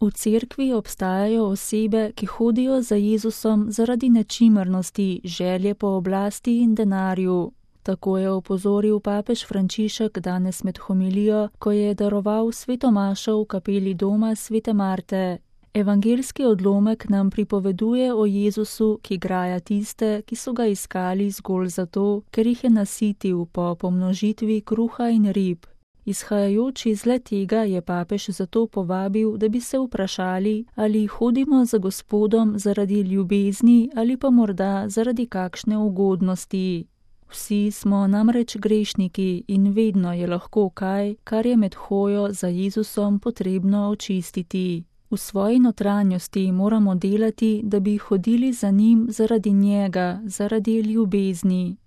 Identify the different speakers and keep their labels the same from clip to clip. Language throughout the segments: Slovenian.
Speaker 1: V cerkvi obstajajo osebe, ki hodijo za Jezusom zaradi nečimrnosti, želje po oblasti in denarju. Tako je opozoril papež Frančišek danes med homilijo, ko je daroval sveto mašo v kapeli doma svete Marte. Evangeljski odlomek nam pripoveduje o Jezusu, ki graja tiste, ki so ga iskali zgolj zato, ker jih je nasitil po pomnožitvi kruha in rib. Izhajajoč iz le-tega je papež zato povabil, da bi se vprašali, ali hodimo za Gospodom zaradi ljubezni ali pa morda zaradi kakšne ugodnosti. Vsi smo namreč grešniki in vedno je lahko kaj, kar je med hojo za Jezusom potrebno očistiti. V svoji notranjosti moramo delati, da bi hodili za njim zaradi njega, zaradi ljubezni.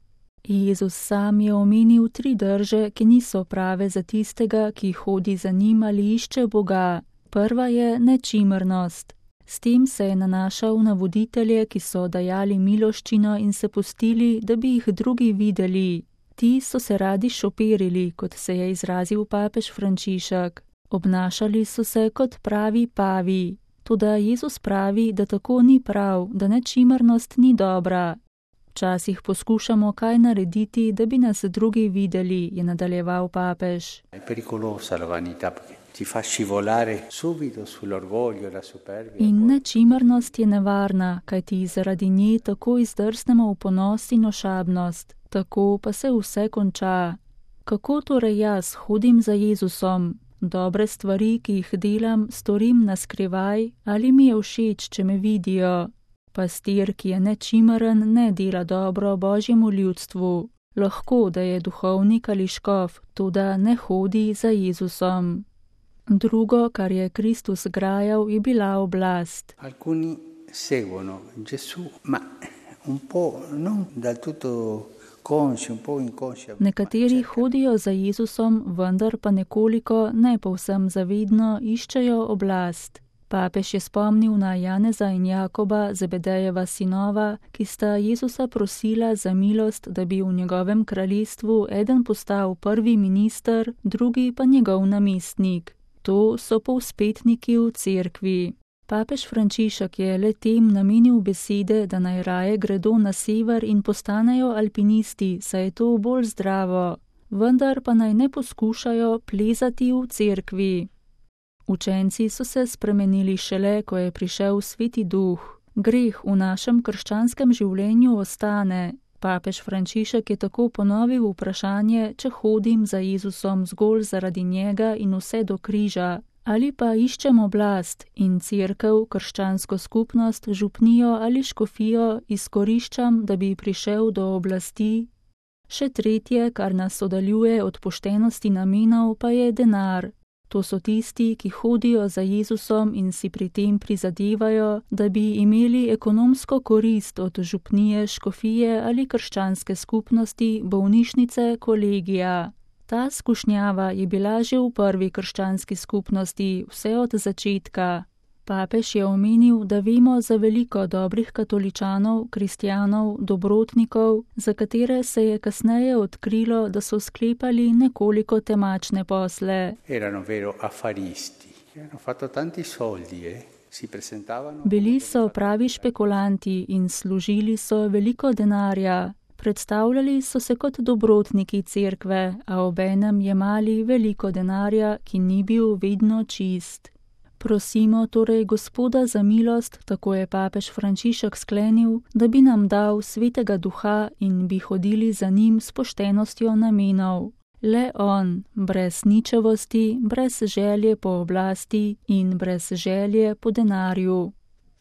Speaker 1: Jezus sam je omenil 3 drže, ki niso prave za tistega, ki hodi za njim ali išče Boga. Prva je nečimrnost. S tem se je nanašal na voditelje, ki so dajali miloščino in se pustili, da bi jih drugi videli. Ti so se radi šoperili, kot se je izrazil papež Frančišek. Obnašali so se kot pravi pavi. Toda Jezus pravi, da tako ni prav, da nečimrnost ni dobra. Včasih poskušamo kaj narediti, da bi nas drugi videli, je nadaljeval papež. In nečimrnost je nevarna, kajti zaradi nje tako izdrsnemo v ponos in ošabnost. Tako pa se vse konča. Kako torej jaz hodim za Jezusom? Dobre stvari, ki jih delam, storim na skrivaj, ali mi je všeč, če me vidijo? Pastir, ki je nečimren, ne dela dobro Božjemu ljudstvu. Lahko, da je duhovnik ali škof, toda ne hodi za Jezusom. Drugo, kar je Kristus grajal, je bila oblast.
Speaker 2: Alcuni seguono Gesù, ma un po' non del tutto consci, un po' inconsci.
Speaker 1: Nekateri hodijo za Jezusom, vendar pa nekoliko, ne povsem zavedno, iščejo oblast. Papež je spomnil na Janeza in Jakoba, Zebedejeva sinova, ki sta Jezusa prosila za milost, da bi v njegovem kraljestvu eden postal prvi minister, drugi pa njegov namestnik. To so povzpetniki v cerkvi. Papež Frančišek je le-tem namenil besede, da naj raje gredo na sever in postanejo alpinisti, saj je to bolj zdravo. Vendar pa naj ne poskušajo plezati v cerkvi. Učenci so se spremenili šele, ko je prišel Sveti Duh. Greh v našem krščanskem življenju ostane. Papež Frančišek je tako ponovil vprašanje, če hodim za Jezusom zgolj zaradi njega in vse do križa, ali pa iščem oblast in cerkev, krščansko skupnost, župnijo ali škofijo izkoriščam, da bi prišel do oblasti. Še tretje, kar nas oddaljuje od poštenosti namenov, pa je denar. To so tisti, ki hodijo za Jezusom in si pri tem prizadevajo, da bi imeli ekonomsko korist od župnije, škofije ali krščanske skupnosti, bolnišnice, kolegija. Ta skušnjava je bila že v prvi krščanski skupnosti, vse od začetka. Papež je omenil, da vemo za veliko dobrih katoličanov, kristjanov, dobrotnikov, za katere se je kasneje odkrilo, da so sklepali nekoliko temačne posle. Bili so pravi špekulanti in služili so veliko denarja. Predstavljali so se kot dobrotniki cerkve, a obenem jemali veliko denarja, ki ni bil vedno čist. Prosimo torej Gospoda za milost, tako je papež Frančišek sklenil, da bi nam dal Svetega Duha in bi hodili za njim s poštenostjo namenov. Le on, brez ničevosti, brez želje po oblasti in brez želje po denarju.